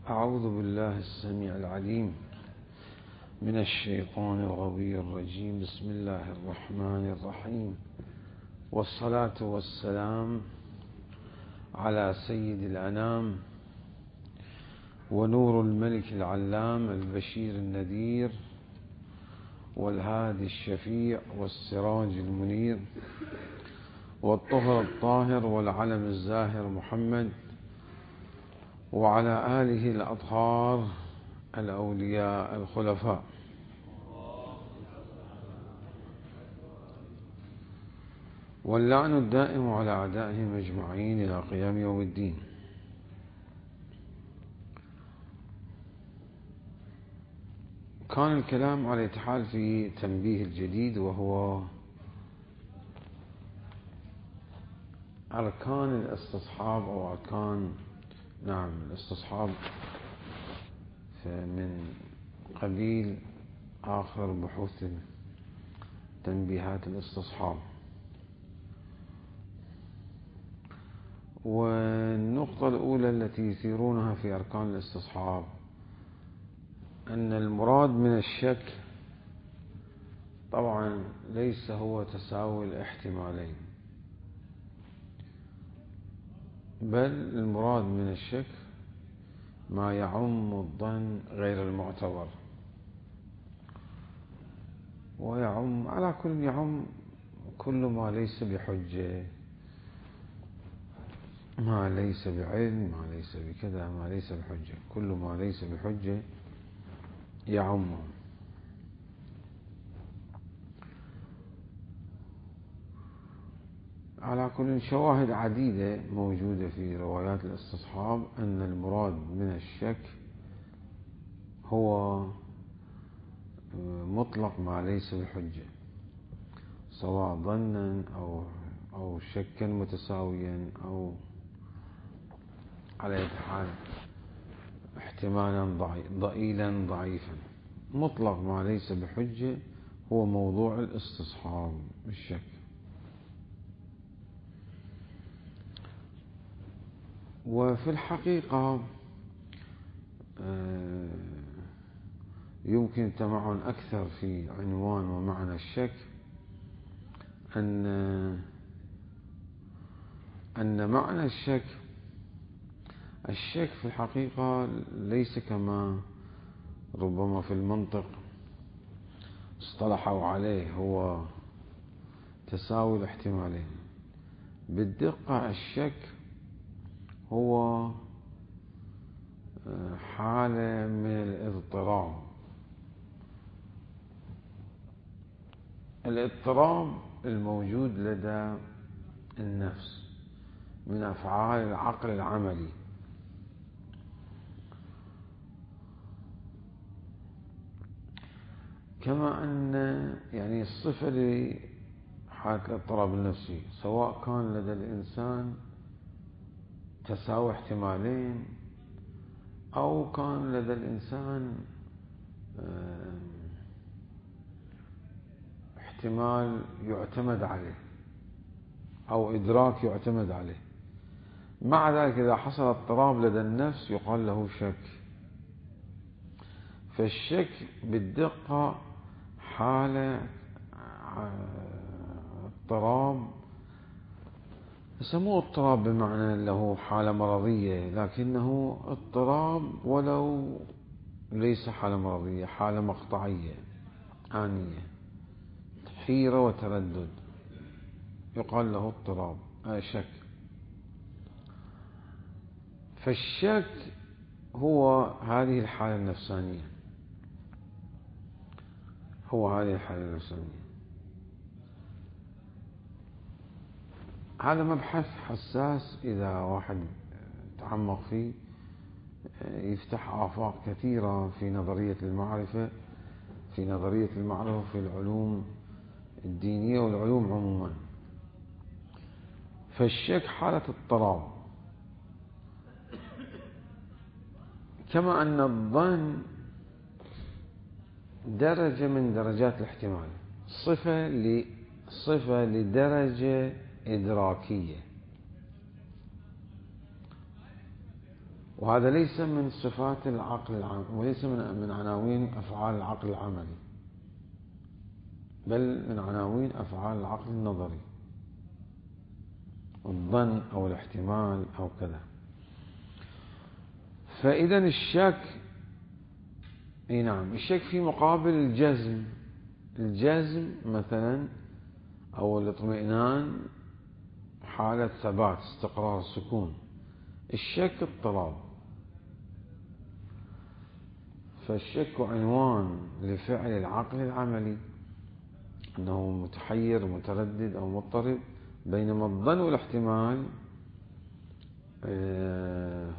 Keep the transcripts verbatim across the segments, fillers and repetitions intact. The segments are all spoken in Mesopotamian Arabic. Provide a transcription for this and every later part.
أعوذ بالله السميع العليم من الشيطان الغوي الرجيم. بسم الله الرحمن الرحيم، والصلاة والسلام على سيد الأنام ونور الملك العلام البشير النذير والهادي الشفيع والسراج المنير والطهر الطاهر والعلم الزاهر محمد، وعلى آله الأطهار الأولياء الخلفاء. واللعن الدائم على أعدائهم أجمعين إلى قيام يوم الدين. كان الكلام على الاتحاد في تنبيه الجديد، وهو أركان الاستصحاب أو أركان نعم الاستصحاب من قبيل آخر بحوث تنبيهات الاستصحاب. والنقطة الأولى التي يثيرونها في أركان الاستصحاب أن المراد من الشك طبعا ليس هو تساوي الاحتمالين، بل المراد من الشك ما يعم الظن غير المعتبر، ويعم على كل يعم كل ما ليس بحجة، ما ليس بعلم، ما ليس بكذا، ما ليس بحجة، كل ما ليس بحجة يعمه. على كل شواهد عديدة موجودة في روايات الاستصحاب أن المراد من الشك هو مطلق ما ليس بحجة، سواء ظنا أو أو شكا متساويا أو على أي حال احتمالا ضئيلا ضعيفا. مطلق ما ليس بحجة هو موضوع الاستصحاب بالشك. وفي الحقيقة يمكن التمعن أكثر في عنوان ومعنى الشك أن أن معنى الشك الشك في الحقيقة ليس كما ربما في المنطق اصطلحوا عليه هو تساوي الاحتمالين. بالدقة الشك هو حالة من الاضطراب. الاضطراب الموجود لدى النفس من أفعال العقل العملي، كما أن يعني الصفة لحالة الاضطراب النفسي سواء كان لدى الإنسان تساوي احتمالين أو كان لدى الإنسان احتمال يعتمد عليه أو إدراك يعتمد عليه، مع ذلك إذا حصل اضطراب لدى النفس يقال له شك. فالشك بالدقة حالة اضطراب، يسموه اضطراب بمعنى له حالة مرضية، لكنه اضطراب ولو ليس حالة مرضية، حالة مقطعية آنية، حيرة وتردد، يقال له اضطراب آه شك. فالشك هو هذه الحالة النفسانية، هو هذه الحالة النفسانية. هذا مبحث حساس، إذا واحد تعمق فيه يفتح آفاق كثيرة في نظرية المعرفة، في نظرية المعرفة في العلوم الدينية والعلوم عموما. فالشك حالة اضطراب، كما أن الظن درجة من درجات الاحتمال، صفة صفة لدرجة إدراكية. وهذا ليس من صفات العقل العام، وليس من من عناوين أفعال العقل العملي، بل من عناوين أفعال العقل النظري، الظن أو الاحتمال أو كذا. فإذا الشك، اي نعم، الشك في مقابل الجزم. الجزم مثلا أو الاطمئنان حالة ثبات، استقرار، سكون. الشك اضطراب. فالشك عنوان لفعل العقل العملي، أنه متحير متردد أو مضطرب، بينما الظن والاحتمال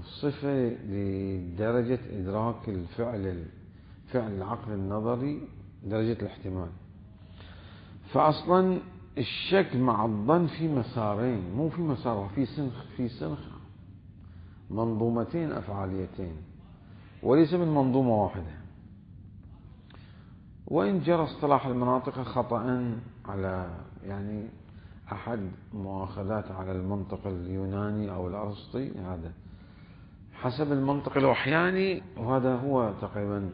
صفة لدرجة إدراك الفعل فعل العقل النظري، درجة الاحتمال. فأصلا الشك مع الظن في مسارين، مو في مسار، في سنخ في سنخ منظومتين أفعاليتين، وليس من منظومة واحدة. وإن جرى اصطلاح المناطق خطأ على يعني أحد مؤاخذات على المنطق اليوناني أو الأرسطي، هذا حسب المنطق الوحياني، وهذا هو تقريبا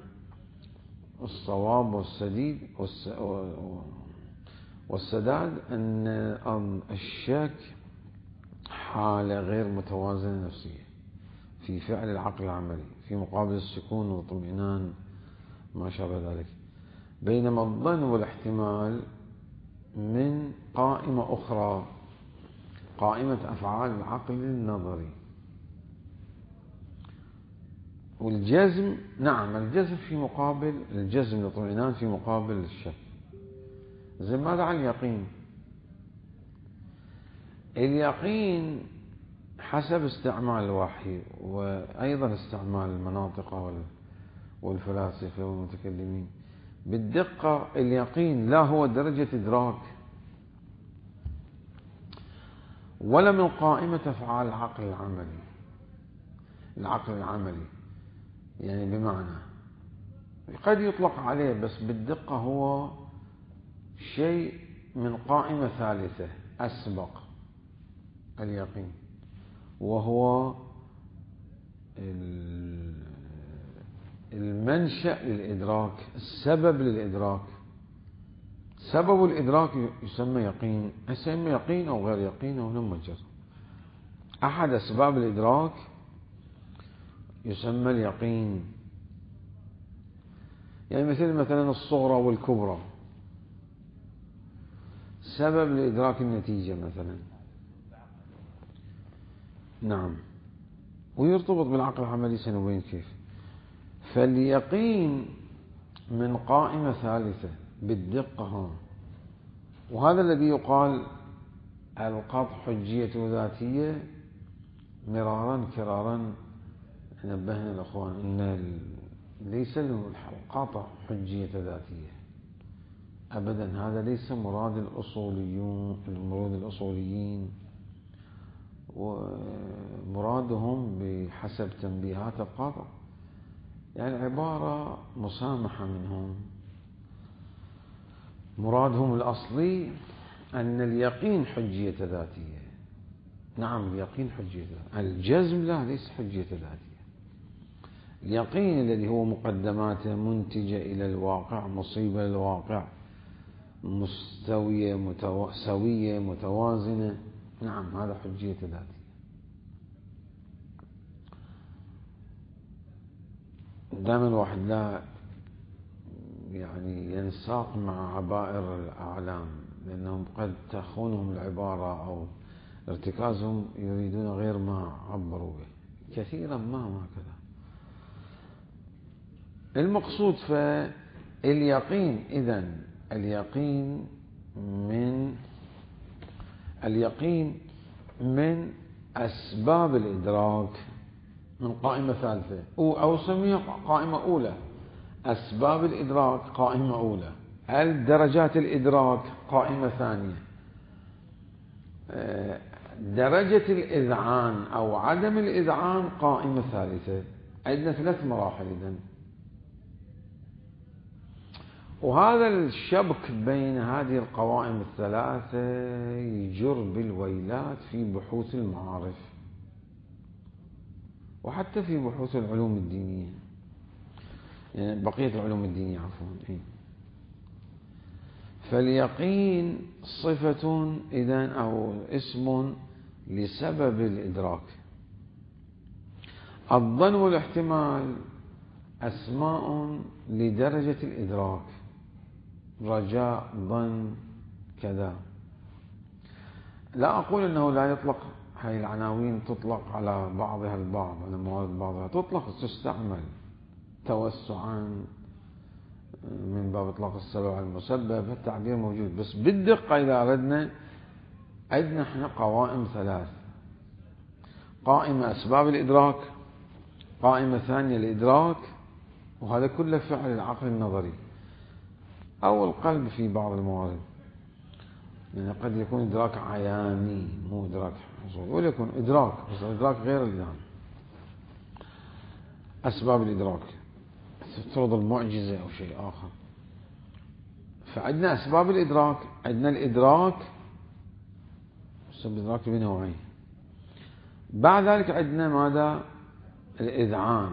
الصواب والسديد والسداد، أن الشك حالة غير متوازنة نفسية في فعل العقل العملي في مقابل السكون والاطمئنان ما شابه ذلك، بينما الظن والاحتمال من قائمة أخرى، قائمة أفعال العقل النظري. والجزم، نعم، الجزم في مقابل الجزم الاطمئنان في مقابل الشك. زي ماذا عن اليقين؟ اليقين حسب استعمال الوحي، وأيضا استعمال المناطق والفلاسفة والمتكلمين، بالدقة اليقين لا هو درجة إدراك ولا من قائمة أفعال العقل العملي. العقل العملي يعني بمعنى قد يطلق عليه، بس بالدقة هو شيء من قائمة ثالثة أسبق اليقين، وهو المنشأ للإدراك، السبب للإدراك. سبب الإدراك يسمى يقين، يسمى يقين أو غير يقين أو نمجر. أحد أسباب الإدراك يسمى اليقين، يعني مثل مثلا الصغرى والكبرى، سبب لإدراك النتيجة مثلا، نعم، ويرتبط بالعقل العملي، سنبين كيف. فاليقين من قائمة ثالثة بالدقة ها، وهذا الذي يقال القطع حجية ذاتية. مرارا كرارا نبهنا الأخوان أن ليس القطع حجية ذاتية أبدا، هذا ليس مراد الأصوليون المراد الأصوليين، ومرادهم بحسب تنبيهات القاطع يعني عبارة مسامحة منهم. مرادهم الأصلي أن اليقين حجية ذاتية. نعم، اليقين حجية ذاتية، الجزم لا، ليس حجية ذاتية. اليقين الذي هو مقدماته منتجة إلى الواقع، مصيبة للواقع، مستوية متو... سوية متوازنة، نعم، هذا حجية ذاتية. دائما الواحد لا يعني ينساق مع عبائر الأعلام، لأنهم قد تخونهم العبارة أو ارتكازهم، يريدون غير ما عبروا به كثيرا ما ما كذا. المقصود فاليقين، إذن اليقين من اليقين من أسباب الإدراك من قائمة ثالثة، أو سميها قائمة أولى. أسباب الإدراك قائمة أولى، درجات الإدراك قائمة ثانية، درجة الإذعان أو عدم الإذعان قائمة ثالثة. عندنا ثلاث مراحل إذن. وهذا الشبك بين هذه القوائم الثلاثة يجر بالويلات في بحوث المعارف. وحتى في بحوث العلوم الدينية، يعني بقية العلوم الدينية عفوا. إيه؟ فاليقين صفة إذن أو اسم لسبب الإدراك. الظن والاحتمال أسماء لدرجة الإدراك، رجاء، ظن، كذا. لا أقول أنه لا يطلق، هاي العناوين تطلق على بعضها البعض، على موارد بعضها تطلق تستعمل توسعا من باب إطلاق السبب على المسبب، التعبير موجود. بس بالدقة إذا أردنا، عندنا احنا قوائم ثلاث: قائمة أسباب الإدراك، قائمة ثانية الإدراك، وهذا كله فعل العقل النظري أو القلب في بعض الموارد. يعني قد يكون إدراك عياني مو إدراك حصولي، ولا يكون إدراك بس إدراك غير الإذهان. أسباب الإدراك تفترض المعجزة أو شيء آخر. فعندنا أسباب الإدراك، عندنا الإدراك، أسباب الإدراك بنوعين. بعد ذلك عندنا ماذا؟ الإذعان،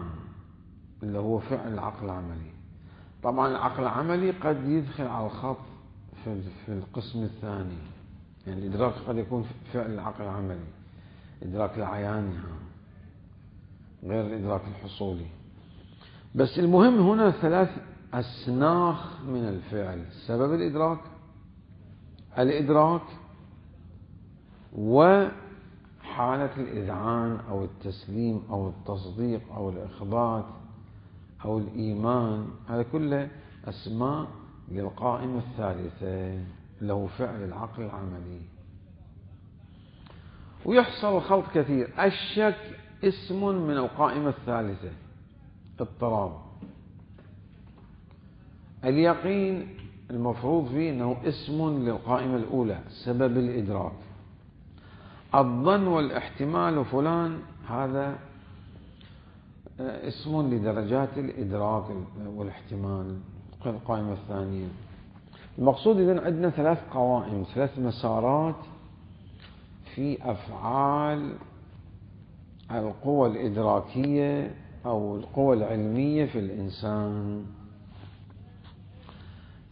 اللي هو فعل العقل العملي. طبعا العقل العملي قد يدخل على الخط في في القسم الثاني، يعني الإدراك قد يكون فعل العقل العملي، إدراك العياني غير الإدراك الحصولي. بس المهم هنا ثلاث أسناخ من الفعل: سبب الإدراك، الإدراك، وحالة الإذعان أو التسليم أو التصديق أو الإخبات أو الإيمان. هذا كله أسماء للقائمة الثالثة، اللي هو فعل العقل العملي. ويحصل خلط كثير. الشك اسم من القائمة الثالثة، اضطراب. اليقين المفروض فيه أنه اسم للقائمة الأولى، سبب الإدراك. الظن والاحتمال وفلان هذا اسم لدرجات الإدراك والاحتمال، القائمة الثانية. المقصود إذن عندنا ثلاث قوائم، ثلاث مسارات في أفعال القوى الإدراكية أو القوى العلمية في الإنسان.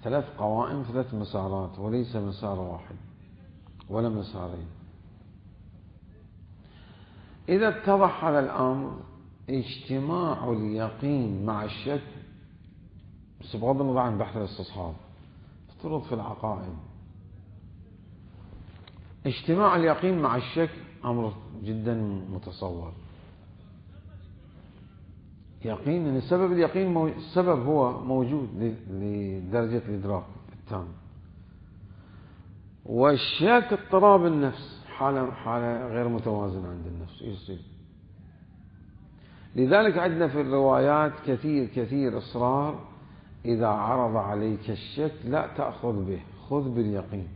ثلاث قوائم، ثلاث مسارات، وليس مسار واحد ولا مسارين. إذا اتضح هذا الأمر، اجتماع اليقين مع الشك، بس بغض النظر عن بحث الاستصحاب، افترض في العقائد اجتماع اليقين مع الشك أمر جدا متصور. يقين ان سبب اليقين مو... السبب هو موجود لدرجة الإدراك التام، والشك اضطراب النفس، حالة حالة غير متوازنة عند النفس يصير. لذلك عندنا في الروايات كثير كثير إصرار: إذا عرض عليك الشك لا تأخذ به، خذ باليقين.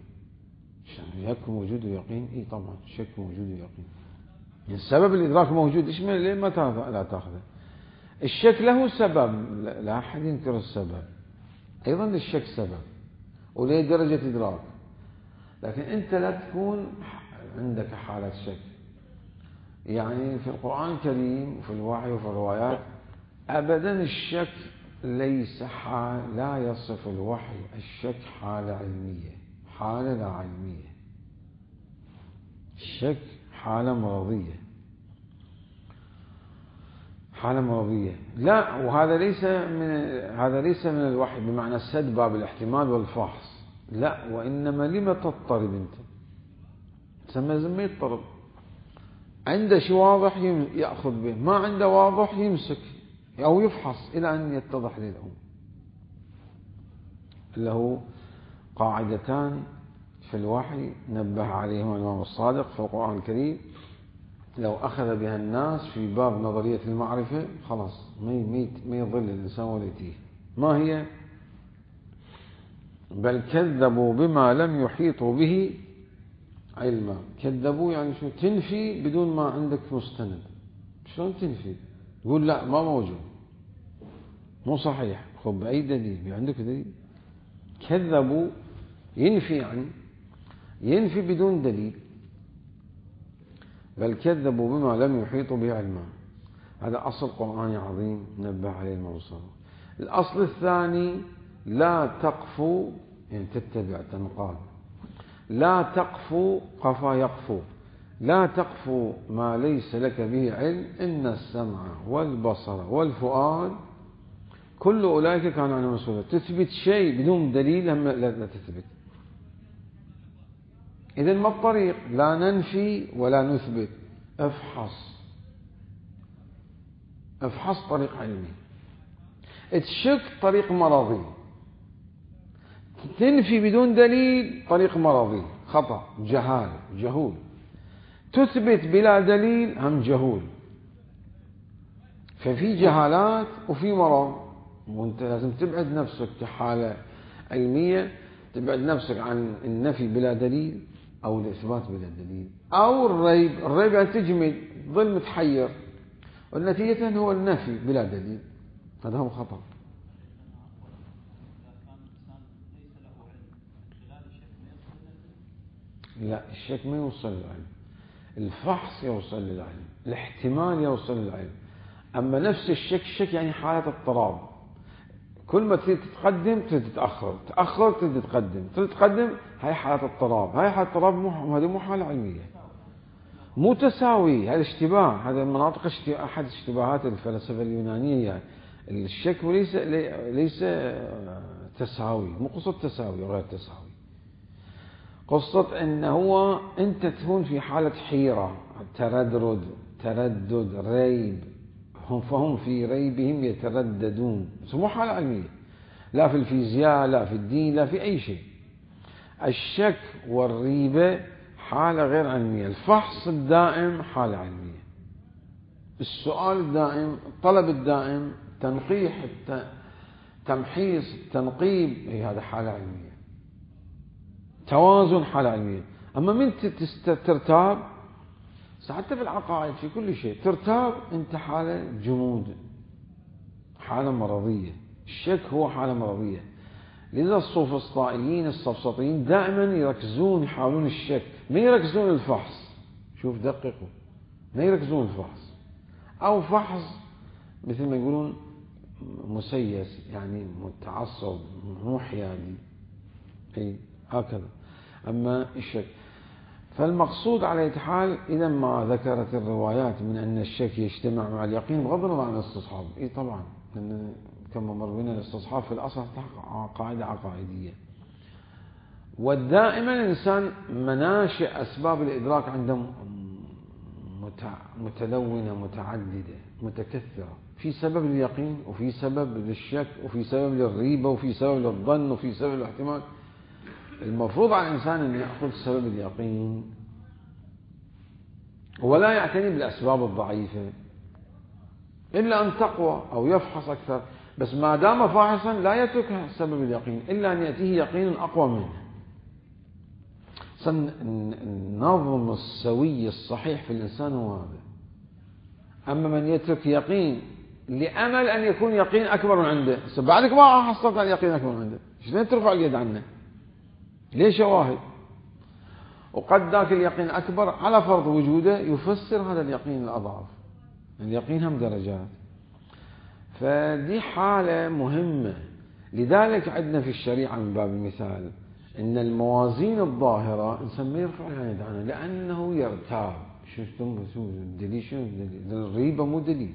الشك موجود ويقين، اي طبعا الشك موجود ويقين. يعني السبب الإدراك موجود، ايش ليه ما لا تأخذه؟ الشك له سبب، لا أحد ينكر السبب، أيضا للشك سبب وليه درجة إدراك، لكن أنت لا تكون عندك حالة شك. يعني في القرآن الكريم وفي الوحي وفي الروايات أبدا الشك ليس حال، لا يصف الوحي الشك حالة علمية، حالة لا علمية. الشك حالة مرضية، حالة مرضية. لا، وهذا ليس من هذا ليس من الوحي بمعنى سد باب الاحتمال والفحص، لا، وإنما لما تضطرب أنت؟ تسمى زي ما يضطرب، عنده شيء واضح يأخذ به، ما عنده واضح يمسك أو يفحص إلى أن يتضح له. له قاعدتان في الوحي نبه عليهما الإمام الصادق في القرآن الكريم، لو أخذ بها الناس في باب نظرية المعرفة خلاص ما يضل الإنسان ولا يتيه. ما هي؟ بل كذبوا بما لم يحيطوا به علما. كذبوا يعني شو؟ تنفي بدون ما عندك مستند. شلون تنفي؟ تقول لا ما موجود، مو صحيح. خب بأي دليل؟ عندك دليل؟ كذبوا ينفي، يعني ينفي بدون دليل. بل كذبوا بما لم يحيطوا به علما. هذا أصل قرآني عظيم نبه عليه الموصل. الأصل الثاني لا تقفو، يعني تتبع تنقاد، لا تقفو قفا يقفو، لا تقفو ما ليس لك به علم، إن السمع والبصر والفؤاد كل أولئك كانوا عنه مسؤولا. تثبت شيء بدون دليل لا تثبت. إذن ما الطريق؟ لا ننفي ولا نثبت، افحص افحص طريق علمي. تشك طريق مرضي، تنفي بدون دليل طريق مرضي، خطأ، جهال، جهول. تثبت بلا دليل هم جهول. ففي جهالات وفي مرض، وانت لازم تبعد نفسك كحالة علمية، تبعد نفسك عن النفي بلا دليل أو الإثبات بلا دليل أو الريب. الريب أن تجمد تظل متحير، والنتيجة هو النفي بلا دليل، هذا هو خطأ. لا، الشك ما يوصل للعلم، الفحص يوصل للعلم، الاحتمال يوصل للعلم. أما نفس الشك، الشك يعني حالة اضطراب، كل ما تريد تتقدم تريد تتأخر، تأخر تريد تتقدم، تريد تتقدم، هاي حالة اضطراب. هاي حالة اضطراب، مو هذه مو حالة علمية، مو تساوي، هذا اشتباه. هذا مناطق اشتباه، أحد اشتباهات الفلسفة اليونانية يعني. الشك ليس ليس تساوي، مو قصة تساوي وغير تساوي، قصة أنه هو أنت تكون في حالة حيرة، تردد تردد ريب، هم فهم في ريبهم يترددون. مو حالة علمية، لا في الفيزياء، لا في الدين، لا في أي شيء. الشك والريبة حالة غير علمية. الفحص الدائم حالة علمية، السؤال الدائم، الطلب الدائم، تنقيح، تمحيص، التنقيب، هي هذا حالة علمية. توازن حالة علمية. أما من ترتاب، حتى في العقائد في كل شيء ترتاب، أنت حالة جمود، حالة مرضية. الشك هو حالة مرضية. لذا السوفسطائيين السفسطيين دائما يركزون، يحاولون الشك، ما يركزون الفحص. شوف دققوا، ما يركزون الفحص، أو فحص مثل ما يقولون مسيس، يعني متعصب، مو حيادي، أي هكذا. أما الشك، فالمقصود على أي حال، إذا ما ذكرت الروايات من أن الشك يجتمع مع اليقين بغض النظر عن الاستصحاب، إي طبعا، لأن كما مر بنا الاستصحاب في الأصل قاعدة عقائدية. ودائما الإنسان مناشئ أسباب الإدراك عنده متلونة، متعددة، متكثرة. في سبب لليقين، وفي سبب للشك، وفي سبب للريبة، وفي سبب للظن، وفي سبب للاحتمال. المفروض على الإنسان أن يأخذ سبب اليقين ولا يعتني بالأسباب الضعيفة إلا أن تقوى أو يفحص أكثر. بس ما دام فاحصا لا يترك سبب اليقين إلا أن يأتيه يقين أقوى منه. النظم السوي الصحيح في الإنسان هو هذا. أما من يترك يقين لأمل أن يكون يقين أكبر من عنده، بعدك ما حصلت على يقين أكبر من عنده، شلون ترفع اليد عنه؟ ليش شواهد؟ وقد ذاك اليقين أكبر على فرض وجوده يفسر هذا اليقين الأضعف. اليقين هم درجات. فدي حالة مهمة. لذلك عندنا في الشريعة من باب المثال إن الموازين الظاهرة الإنسان ما يرفع اليد عنها لأنه يرتاب. شو شو الدليل؟ شو الدليل؟ الريبة مو دليل.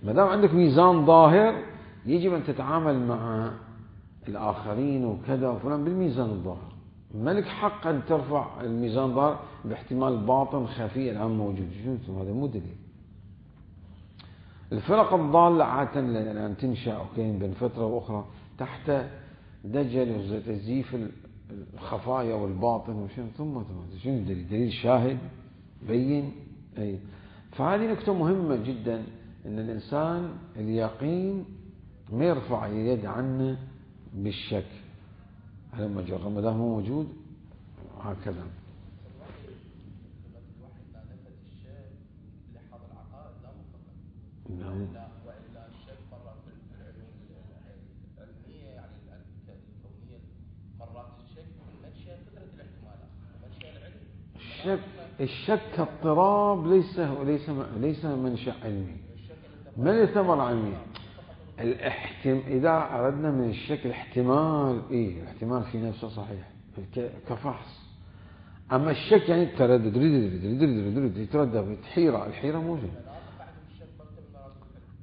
ما دام عندك ميزان ظاهر يجب أن تتعامل مع الآخرين وكذا وفلان بالميزان الظاهر. ملك حق أن ترفع الميزان الظاهر باحتمال باطن خفي الآن موجود. شو هذا؟ مو دليل. الفرق الضالة عادة الآن تنشأ أوكي بين فترة وأخرى تحت دجل وتزييف الخفايا والباطن وشنو، ثم شنو الدليل؟ دليل شاهد بين. أي فهذه نكتة مهمة جدا، أن الإنسان اليقين ما يرفع اليد عنه بالشك على مجرد ما دام هو موجود هكذا. نعم. وإلا الشك مرات في العلوم العلمية يعني الكونية مرات الشك من منشأ قدرة الاحتمالات، منشأ العلم. الشك الشك كاضطراب ليس ليس ليس منشأ علمي، ما له ثمرة علمية. الاحتم إذا أردنا من الشك الاحتمال، إيه الاحتمال في نفسه صحيح كفحص. أما الشك يعني التردد، يتردد، حيرة، الحيرة موجودة.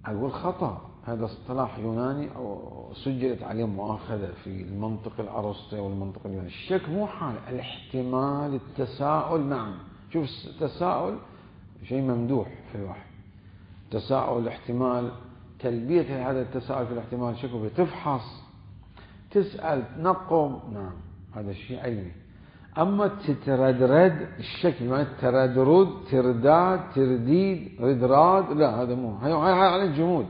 أقول خطأ، هذا اصطلاح يوناني أو سجلت عليه مؤاخذة في المنطق الأرسطي والمنطق اليوناني. الشك مو حال، الاحتمال، التساؤل. نعم، شوف التساؤل شيء ممدوح في الوحي. تساؤل، احتمال، تلبية هذا التساؤل في الاحتمال شكله تفحص، تسأل، تنقب. نعم، هذا الشيء علمي. أما تتردد، الشك بمعنى تردد، ترداد، ترديد، ردراد، لا هذا مو، هاي على الجمود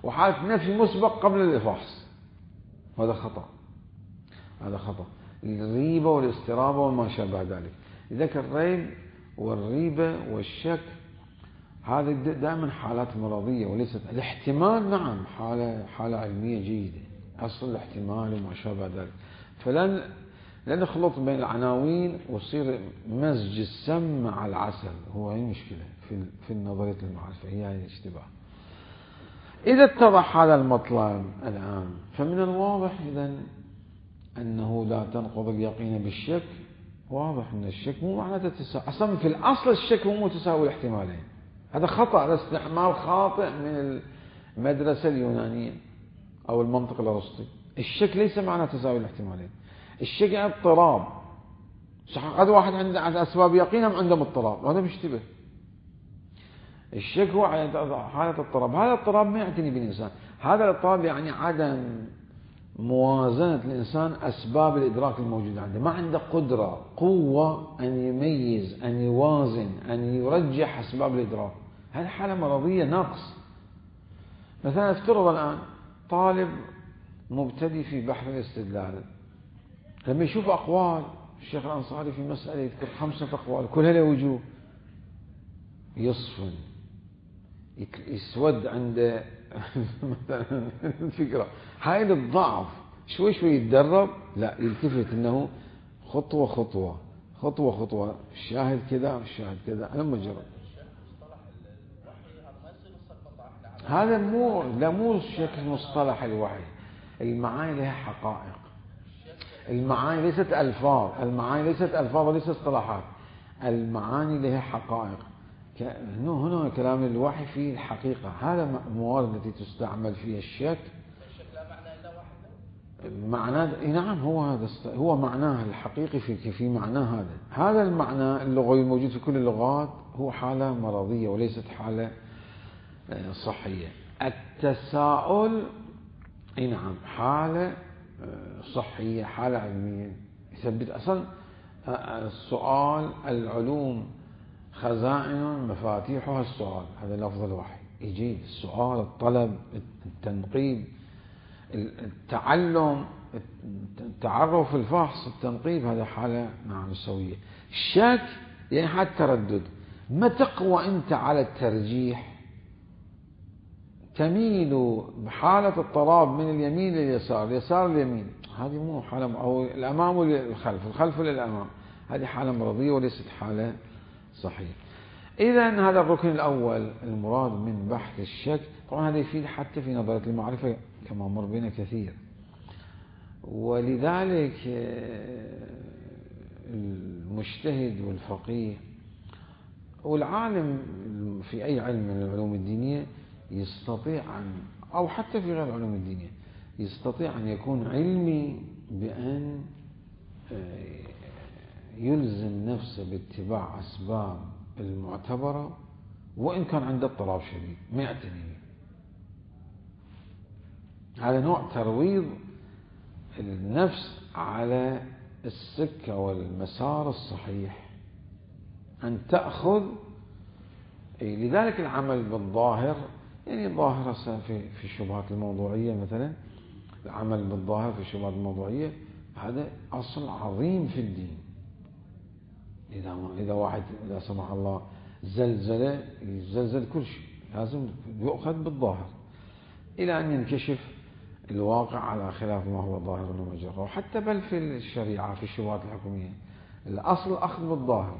وحالة نفي مسبق قبل الفحص، هذا خطأ، هذا خطأ. الريبة والاسترابة وما شابه ذلك. لذلك الريب والريبة والشك هذه دائما حالات مرضية وليست الاحتمال. نعم، حالة حالة علمية جيدة، أصل الاحتمال وما شابه ذلك. فلن لا نخلط بين العناوين ويصير مزج السم مع العسل، هو هي المشكلة في في نظرية المعرفة، هي هي الاشتباه. إذا اتضح هذا المطلب الآن، فمن الواضح إذن أنه لا تنقض اليقين بالشك. واضح أن الشك مو معناته تساوي، أصلا في الأصل الشك هو مو تساوي الاحتمالين، هذا خطأ، هذا استعمال خاطئ من المدرسة اليونانية أو المنطق الأرسطي. الشك ليس معناه تساوي الاحتمالين، الشك يعني اضطراب. صح، قد واحد عنده أسباب يقين أم عنده اضطراب، وهذا مشتبه. الشك هو حالة اضطراب، هذا الاضطراب ما يعتني بالإنسان، هذا الاضطراب يعني عدم موازنة الإنسان أسباب الإدراك الموجودة عنده، ما عنده قدرة، قوة أن يميز، أن يوازن، أن يرجح أسباب الإدراك. هذه حالة مرضية، نقص. مثلا افترض الآن طالب مبتدئ في بحث الاستدلال، لما يشوف أقوال الشيخ الأنصاري في مسألة يذكر خمسة أقوال كلها له وجوه، يصفن، يسود عند مثلا الفكرة. هاي الضعف، شوي شوي يتدرب، لا يلتفت انه خطوة خطوة خطوة خطوة، الشاهد كذا الشاهد كذا، لما جرب. هذا مو لا مو شكل مصطلح الوحي، المعاني لها حقائق، المعاني ليست ألفاظ، المعاني ليست ألفاظ وليست اصطلاحات، المعاني لها حقائق. هنا كلام الوحي فيه الحقيقة، هذا الموارد التي تستعمل فيها الشك. الشك لا معنى إلا واحد. معناه نعم، هو هذا هو معناه الحقيقي في في معناه هذا. هذا المعنى اللغوي الموجود في كل اللغات هو حالة مرضية وليست حالة صحية. التساؤل نعم حالة صحية، حالة علمية يثبت. أصلا السؤال، العلوم خزائن مفاتيحها السؤال، هذا لفظ الوحي يجي. السؤال، الطلب، التنقيب، التعلم، التعرف، الفحص، التنقيب، هذا حالة نعم سوية. الشك يعني حالة تردد، ما تقوى أنت على الترجيح، تميل بحالة اضطراب من اليمين لليسار، اليسار لليمين، هذه مو حالة، أو الأمام للخلف، الخلف للأمام، هذه حالة مرضية وليست حالة صحيح. إذن هذا الركن الأول المراد من بحث الشك. طبعا هذا يفيد حتى في نظرية المعرفة كما مر بنا كثير، ولذلك المجتهد والفقيه والعالم في أي علم من العلوم الدينية يستطيع أن، أو حتى في غير العلوم الدينية، يستطيع أن يكون علمي بأن يلزم نفسه باتباع أسباب المعتبرة وإن كان عنده اضطراب شديد ما يعتني. هذا نوع ترويض النفس على السكة والمسار الصحيح، أن تأخذ. لذلك العمل بالظاهر، يعني الظاهرة في في الشبهات الموضوعية مثلا، العمل بالظاهر في الشبهات الموضوعية هذا أصل عظيم في الدين. إذا إذا واحد لا سمح الله زلزلة، يزلزل كل شيء، لازم يؤخذ بالظاهر إلى أن ينكشف الواقع على خلاف ما هو ظاهر ومجرد. أو، حتى بل في الشريعة في الشبهات الحكومية الأصل أخذ بالظاهر،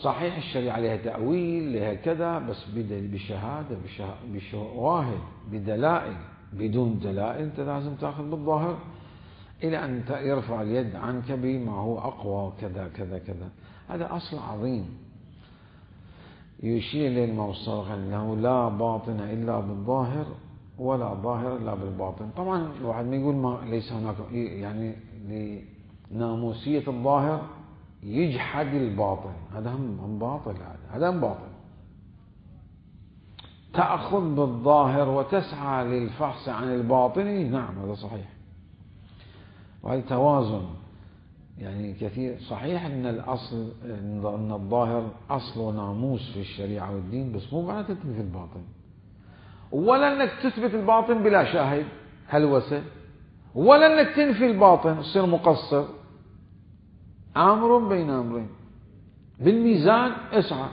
صحيح الشريعة لها تأويل لها كذا، بس بشهادة بشواهد بدلائل. بدون دلائل أنت لازم تأخذ بالظاهر إلى أن يرفع اليد عنك بما هو أقوى كذا كذا كذا. هذا أصل عظيم يشير إليه الإمام الصادق أنه لا باطن إلا بالظاهر ولا ظاهر إلا بالباطن. طبعا الواحد ما يقول ما ليس هناك يعني لناموسية الظاهر يجحد الباطن، هذا هم باطل، هذا هم باطل. تأخذ بالظاهر وتسعى للفحص عن الباطن، نعم هذا صحيح، وهذا توازن. يعني كثير صحيح أن الأصل أن الظاهر أصل وناموس في الشريعة والدين، بس مو معناته تنفي الباطن، ولا أنك تثبت الباطن بلا شاهد هلوسة، ولا أنك تنفي الباطن تصير مقصر. أمر بين أمرين بالميزان اسعى.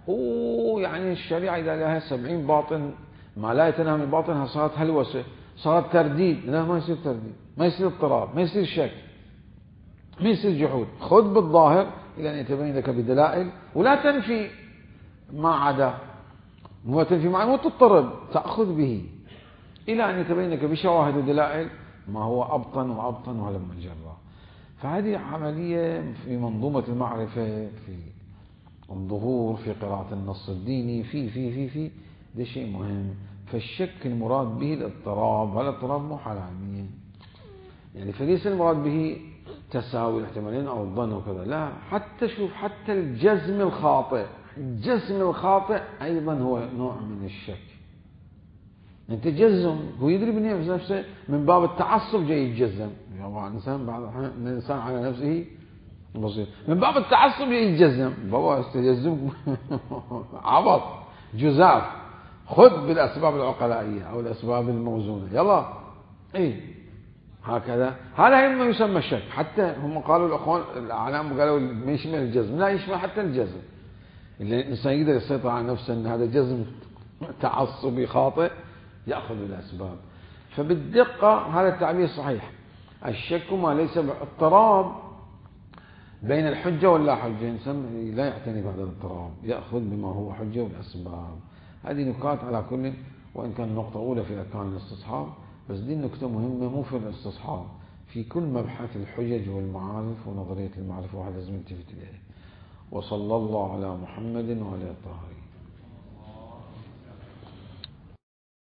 ويعني الشريعة إذا لها سبعين باطن ما لا يتناهى من باطنها صارت هلوسة، صارت ترديد. لا، ما يصير ترديد، ما يصير اضطراب، ما يصير شك، ما يصير جحود. خذ بالظاهر إلى أن يتبين لك بدلائل، ولا تنفي ما عدا، مو تنفي ما مو تضطرب، تأخذ به إلى أن يتبين لك بشواهد ودلائل ما هو أبطن وأبطن وهلم الجرة. فهذه عملية في منظومة المعرفة، في الظهور، في قراءة النص الديني، في في في في ده شيء مهم. فالشك المراد به الاضطراب، هذا الاضطراب مو حالة علمية يعني، فليس المراد به تساوي الاحتمالين أو الظن وكذا، لا. حتى شوف، حتى الجزم الخاطئ، الجزم الخاطئ أيضا هو نوع من الشك. أنت جزم، هو يدري بنفس نفسه، من باب التعصب جاي يتجزم. يعني الإنسان بعض الأحيان الإنسان على نفسه بسيط، من باب التعصب جاي يتجزم. بابا استجزم عبط جزاف. خذ بالأسباب العقلائية أو الأسباب الموزونة، يلا إيه هكذا. هذا ما يسمى الشك. حتى هم قالوا الأخوان الأعلام قالوا ما يشمل الجزم، لا يشمل حتى الجزم. اللي الإنسان يقدر يسيطر على نفسه أن هذا جزم تعصبي خاطئ، يأخذ الأسباب. فبالدقة هذا التعبير صحيح. الشك ما ليس باضطراب بين الحجة واللا حجة، إنسان لا يعتني بهذا الاضطراب، يأخذ بما هو حجة والأسباب. هذه نكات على كل، وإن كان النقطة الأولى في أركان الاستصحاب، بس دي النكتة مهمة مو في الاستصحاب، في كل مبحث الحجج والمعارف ونظرية المعرفة، وهذا لازم نلتفت إليه. وصلى الله على محمد وعلى الطاهرين.